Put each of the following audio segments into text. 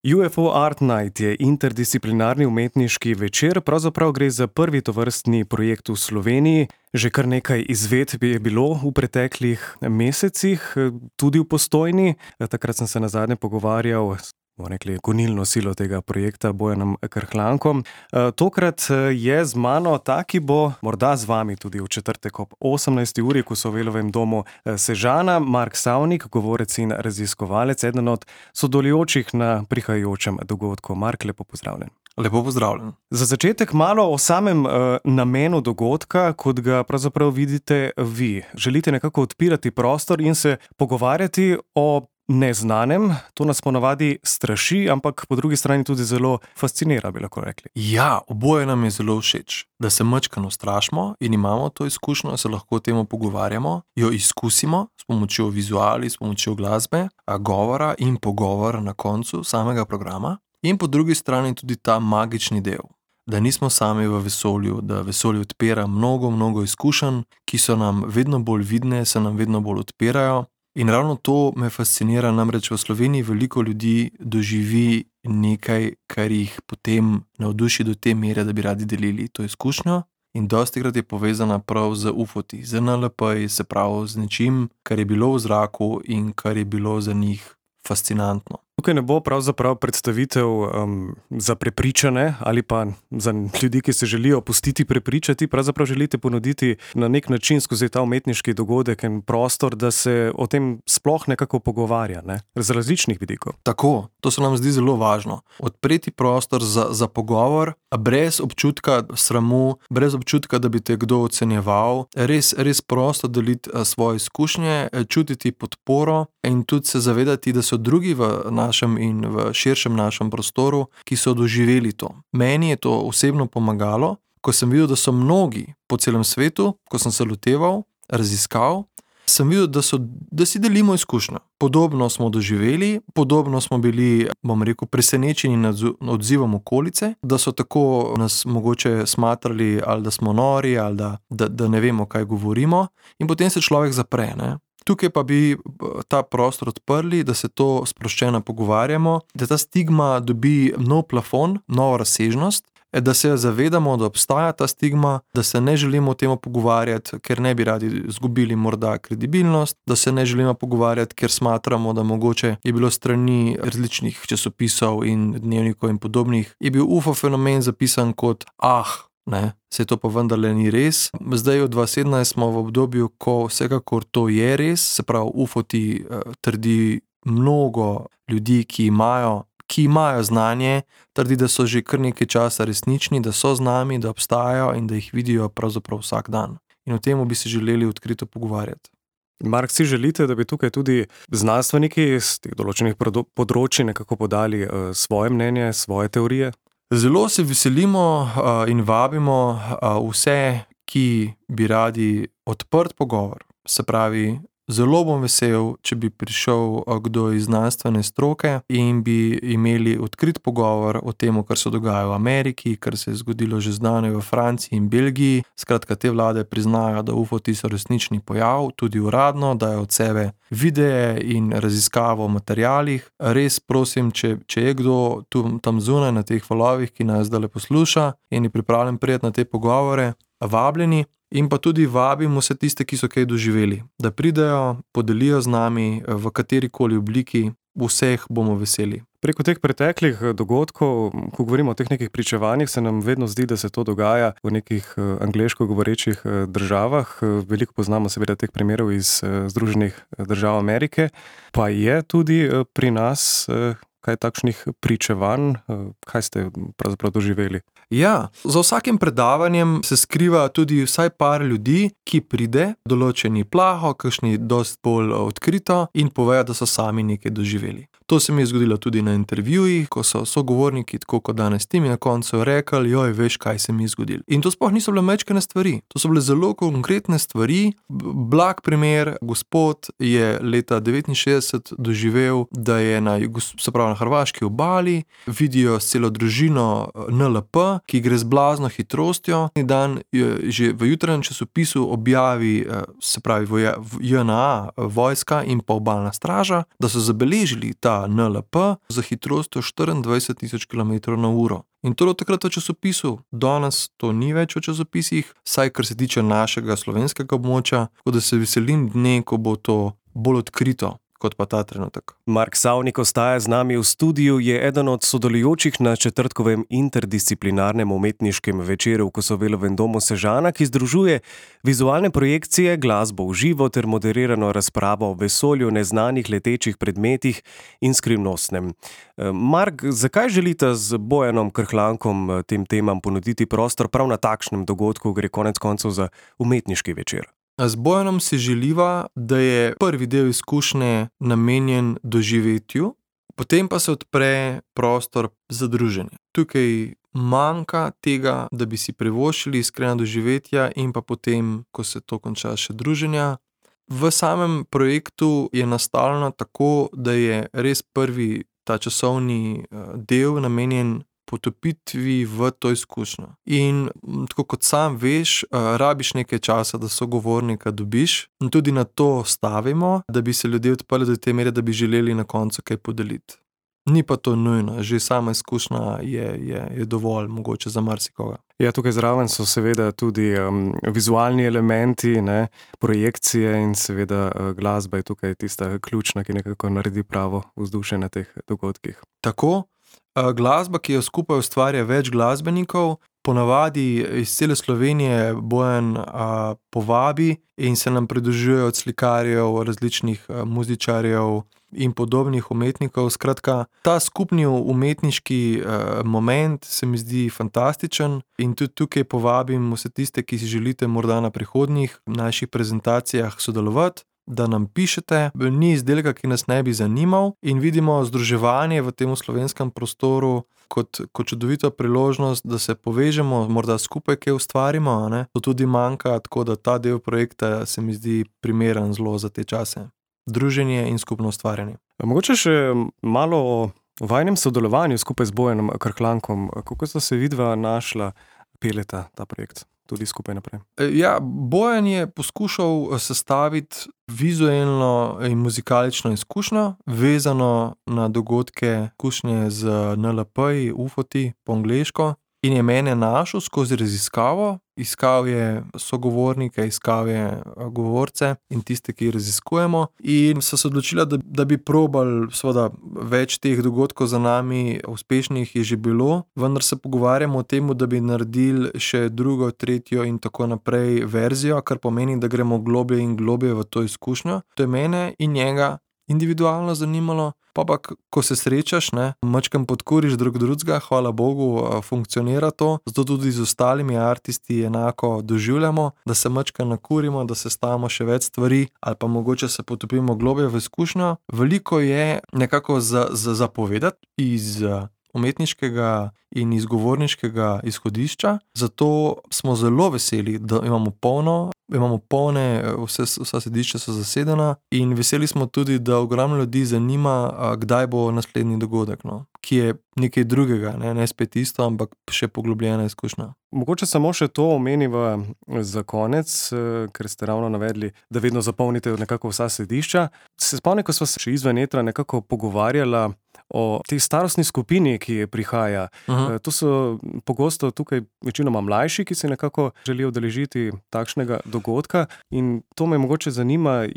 UFO Art Night je interdisciplinarni umetniški večer, pravzaprav gre za prvi tovrstni projekt v Sloveniji. Že kar nekaj izvedb je bilo v preteklih mesecih, tudi v Postojni. Takrat sem se nazadnje pogovarjal s gonilno silo tega projekta, Bojanom Krhlankom. Tokrat je z mano ta, ki bo morda z vami tudi v četrtek ob 18. uri, ko so v Elovem domu Sežana, Mark Savnik, govorec in raziskovalec, eden od sodelujočih na prihajajočem dogodku. Mark, lepo pozdravljen. Lepo pozdravljen. Za začetek malo o samem namenu dogodka, kot ga pravzaprav vidite vi. Želite nekako odpirati prostor in se pogovarjati o neznanem. To nas ponavadi straši, ampak po drugi strani tudi zelo fascinira, bi lahko rekli. Ja, oboje nam je zelo všeč. Da se majčkeno ustrašimo in imamo to izkušnjo, se lahko o tem pogovarjamo, jo izkusimo s pomočjo vizuali, s pomočjo glasbe, govora in pogovora na koncu samega programa. In po drugi strani tudi ta magični del, da nismo sami v vesolju, da vesolje odpira mnogo izkušenj, ki so nam vedno bolj vidne, se nam vedno bolj odpirajo. In ravno to me fascinira, namreč v Sloveniji veliko ljudi doživi nekaj, kar jih potem navduši do te mere, da bi radi delili to izkušnjo. In dostikrat je povezana prav z UFO-ti, z NLP-ji, se pravi z nečim, kar je bilo v zraku in kar je bilo za njih fascinantno. Tukaj ne bo pravzaprav predstavitev za prepričane ali pa za ljudi, ki se želijo pustiti prepričati. Pravzaprav želite ponuditi na nek način skozi ta umetniški dogodek en prostor, da se o tem sploh nekako pogovarja, ne? Z različnih vidikov. Tako, to se nam zdi zelo važno. Odpreti prostor za pogovor, brez občutka sramu, brez občutka, da bi te kdo ocenjeval, res prosto deliti svoje izkušnje, čutiti podporo in tudi se zavedati, da so drugi v našem in v širšem našem prostoru, ki so doživeli to. Meni je to osebno pomagalo, ko sem videl, da so mnogi po celem svetu, ko sem se loteval, raziskav, sem videl, da si delimo izkušnjo. Podobno smo doživeli, podobno smo bili, presenečeni nad odzivom okolice, da so tako nas mogoče smatrali, ali da smo nori, ali da ne vemo, kaj govorimo, in potem se človek zapre, ne? Tukaj pa bi ta prostor odprli, da se to sproščeno pogovarjamo, da ta stigma dobi nov plafon, novo razsežnost, da se zavedamo, da obstaja ta stigma, da se ne želimo o tem pogovarjati, ker ne bi radi izgubili morda kredibilnost, da se ne želimo pogovarjati, ker smatramo, da mogoče je bilo strani različnih časopisov in dnevnikov in podobnih, je bil UFO fenomen zapisan kot ne, se to pa vendarle ni res. Zdaj od 2017 smo v obdobju, ko vsekakor to je res, se pravi UFO-ti trdi mnogo ljudi, ki imajo znanje, trdi, da so že kar nekaj časa resnični, da so z nami, da obstajajo in da jih vidijo pravzaprav vsak dan. In o tem bi se želeli odkrito pogovarjati. Mark, si želite, da bi tukaj tudi znanstveniki iz teh določenih področij nekako podali svoje mnenje, svoje teorije? Zelo se veselimo in vabimo vse, ki bi radi odprt pogovor. Se pravi, zelo bom vesel, če bi prišel kdo iz znanstvene stroke in bi imeli odkrit pogovor o tem, kar se dogaja v Ameriki, kar se je zgodilo že zdavnaj v Franciji in Belgiji. Skratka, te vlade priznajo, da UFO-ti so resnični pojav, tudi uradno, dajo od sebe videe in raziskavo o materialih. Res prosim, če je kdo tam zunaj na teh valovih, ki nas zdaj posluša in je pripravljen priti na te pogovore, vabljeni. In pa tudi vabim vse tiste, ki so kaj doživeli, da pridejo, podelijo z nami v katerikoli obliki, vseh bomo veseli. Preko teh preteklih dogodkov, ko govorimo o teh nekih pričevanjih, se nam vedno zdi, da se to dogaja v nekih angleško govorečih državah. Veliko poznamo seveda teh primerov iz Združenih držav Amerike, pa je tudi pri nas kaj takšnih pričevanj, kaj ste pravzaprav doživeli? Ja, za vsakim predavanjem se skriva tudi vsaj par ljudi, ki pride, določeni plaho, kakšni dosti bolj odkrito in povejo, da so sami nekaj doživeli. To se mi je zgodilo tudi na intervjujih, ko so sogovorniki, tako kot danes ti, mi na koncu rekli, joj, veš, kaj se mi je zgodilo. In to sploh niso bile majčkene stvari, to so bile zelo konkretne stvari. Blag primer, gospod je leta 1969 doživel, da je na hrvaški obali, vidijo s celo družino NLP, ki gre z blazno hitrostjo. Dan že v jutranjem časopisu objavi, se pravi JNA, vojska in pa obalna straža, da so zabeležili ta ta NLP za hitrostjo 24.000 km/h. In to je takrat v časopisu, danes to ni več v časopisih, saj kar se tiče našega slovenskega območja, tako da se veselim dne, ko bo to bolj odkrito kot pa ta trenutek. Mark Savnik ostaja z nami v studiu, je eden od sodelujočih na četrtkovem interdisciplinarnem umetniškem večeru v Kosovelovem domu Sežana, ki združuje vizualne projekcije, glasbo v živo ter moderirano razpravo o vesolju, neznanih letečih predmetih in skrivnostnem. Mark, zakaj želite z Bojanom Krhlankom tem temam ponuditi prostor prav na takšnem dogodku, gre konec koncev za umetniški večer? Z Bojanom si želiva, da je prvi del izkušnje namenjen doživetju, potem pa se odpre prostor za druženje. Tukaj manjka tega, da bi si privoščili iskrena doživetja in pa potem, ko se to konča, še druženja. V samem projektu je nastavljeno tako, da je res prvi ta časovni del namenjen potopitvi v to izkušnjo. In tako kot sam veš, rabiš nekaj časa, da sogovornika dobiš in tudi na to stavimo, da bi se ljudje odprli do te mere, da bi želeli na koncu kaj podeliti. Ni pa to nujno, že sama izkušnja je dovolj mogoče za marsikoga. Ja, tukaj zraven so seveda tudi vizualni elementi, ne, projekcije in seveda glasba je tukaj tista ključna, ki nekako naredi pravo vzdušje na teh dogodkih. Tako. Glasba, ki jo skupaj ustvarja več glasbenikov, ponavadi iz cele Slovenije Bojan povabi in se nam pridružujejo od slikarjev, različnih muzičarjev in podobnih umetnikov. Skratka, ta skupni umetniški moment se mi zdi fantastičen in tudi tukaj povabim vse tiste, ki si želite morda na prihodnjih naših prezentacijah sodelovati, da nam pišete, ni izdelka, ki nas ne bi zanimal in vidimo združevanje v tem slovenskem prostoru kot čudovito priložnost, da se povežemo, morda skupaj kaj ustvarimo, ne? To tudi manjka, tako da ta del projekta se mi zdi primeren zelo za te čase. Druženje in skupno ustvarjanje. Mogoče še malo o vajnem sodelovanju skupaj z Bojanom Krhlankom. Kako sta se vidva našla, peljeta ta projekt tudi skupaj naprej? Ja, Bojan je poskušal sestaviti vizualno in muzikalično izkušnjo, vezano na dogodke, izkušnje z NLP-ji, UFO-ti po angleško, in je mene našel skozi raziskavo. Iskal je sogovornike, iskal je govorce in tiste, ki raziskujemo, in so se odločila, da bi probali, seveda več teh dogodkov za nami, uspešnih je že bilo, vendar se pogovarjamo o tem, da bi naredili še drugo, tretjo in tako naprej verzijo, kar pomeni, da gremo globlje in globlje v to izkušnjo. To je mene in njega individualno zanimalo, pa ko se srečaš, ne, majčkeno podkuriš drug drugega, hvala Bogu, funkcionira to, zato tudi z ostalimi artisti enako doživljamo, da se majčkeno nakurimo, da se stavimo še več stvari ali pa mogoče se potopimo globlje v izkušnjo. Veliko je nekako za povedati iz umetniškega in izgovorniškega izhodišča, zato smo zelo veseli, da imamo polne, vsa sedišča so zasedena in veseli smo tudi, da ogromno ljudi zanima, kdaj bo naslednji dogodek, no, ki je nekaj drugega, ne spet isto, ampak še poglobljena izkušnja. Mogoče samo še to omeniva za konec, ker ste ravno navedli, da vedno zapolnite nekako vsa sedišča. Se spomnim, ko sva se še izven etra nekako pogovarjala o tej starostni skupini, ki je prihaja. To so pogosto tukaj večinoma mlajši, ki se nekako želijo udeležiti takšnega dogodka, in to me mogoče zanima,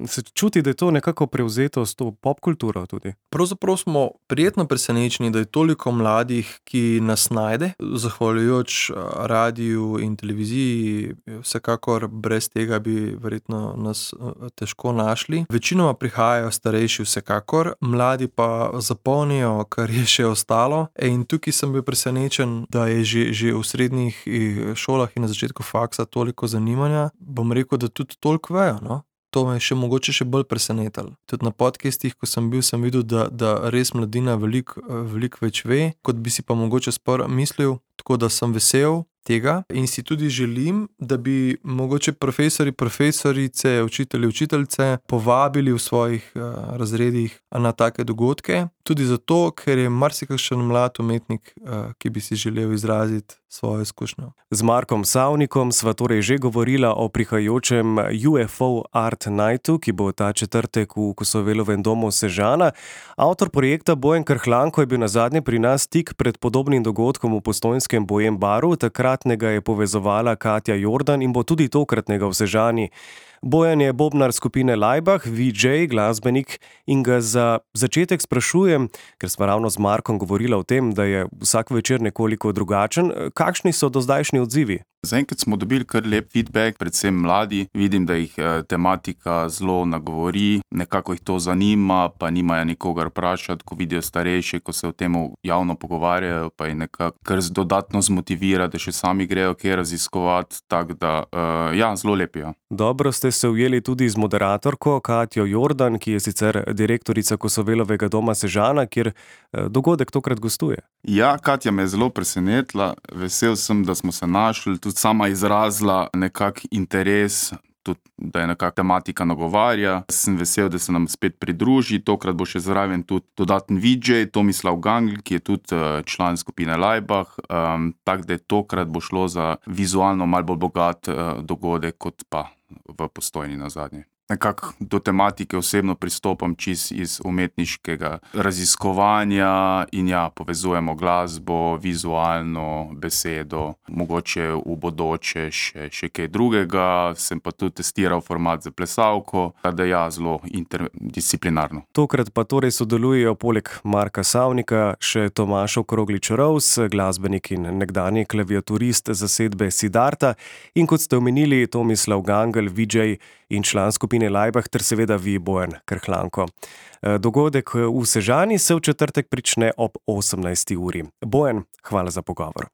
se čuti, da je to nekako prevzeto s to popkulturo tudi? Pravzaprav smo prijetno presenečeni, da je toliko mladih, ki nas najde, zahvaljujoč radiju in televiziji, vsekakor brez tega bi verjetno nas težko našli. Večinoma prihajajo starejši vsekakor, mladi pa zapolnijo, kar je še ostalo, in tukaj sem bil presenečen, da je že v srednjih šolah in na začetku faksa toliko zanimanja. Bom rekel, da tudi toliko vejo, no. To me je mogoče še bolj presenetilo. Tudi na podcastih, ko sem bil, sem videl, da res mladina veliko več ve, kot bi si pa mogoče mislil, tako da sem vesel, tega in si tudi želim, da bi mogoče profesori, profesorice, učitelji, učiteljice povabili v svojih razredih na take dogodke. Tudi zato, ker je marsikakšen mlad umetnik, ki bi si želel izraziti svojo izkušnjo. Z Markom Savnikom sva torej že govorila o prihajajočem UFO Art Nightu, ki bo ta četrtek v Kosovelovem domu Sežana. Avtor projekta Bojan Krhlanko je bil nazadnje pri nas tik pred podobnim dogodkom v postojnskem Bojem baru. Takratnega je povezovala Katja Jordan in bo tudi tokratnega v Sežani. Bojan je bobnar skupine Laibach, VJ, glasbenik, in ga za začetek sprašujem, ker sva ravno z Markom govorila o tem, da je vsak večer nekoliko drugačen, kakšni so dozdajšnji odzivi? Zaenkrat smo dobili kar lep feedback, predvsem mladi. Vidim, da jih tematika zelo nagovori, nekako jih to zanima, pa nimajo nikogar vprašati, ko vidijo starejše, ko se o tem javno pogovarjajo, pa jih nekako kar dodatno zmotivira, da še sami grejo kaj raziskovati, tako da zelo lepijo. Dobro ste se ujeli tudi z moderatorko Katjo Jordan, ki je sicer direktorica Kosovelovega doma Sežana, kjer dogodek tokrat gostuje. Ja, Katja me je zelo presenetila, vesel sem, da smo se našli, tudi sama izrazila nekak interes, tudi, da je nekak tematika nagovarja. Sem vesel, da se nam spet pridruži, tokrat bo še zraven tudi dodaten VJ, Tomislav Gangl, ki je tudi član skupine Laibach, tako da tokrat bo šlo za vizualno malo bolj bogat dogodek, kot pa v Postojni nazadnje. Nekako do tematike osebno pristopam čisto iz umetniškega raziskovanja in povezujemo glasbo, vizualno, besedo, mogoče v bodoče še kaj drugega. Sem pa tudi testiral format za plesalko, da zelo interdisciplinarno. Tokrat pa torej sodelujejo poleg Marka Savnika še Tomaž Okroglič-Rovs, glasbenik in nekdanji klaviaturist zasedbe Siddharta, in kot ste omenili, Tomislav Gangl, VJ in član skupine Laibach, ter seveda vi, Bojan Krhlanko. Dogodek v Sežani se v četrtek prične ob 18. uri. Bojan, hvala za pogovor.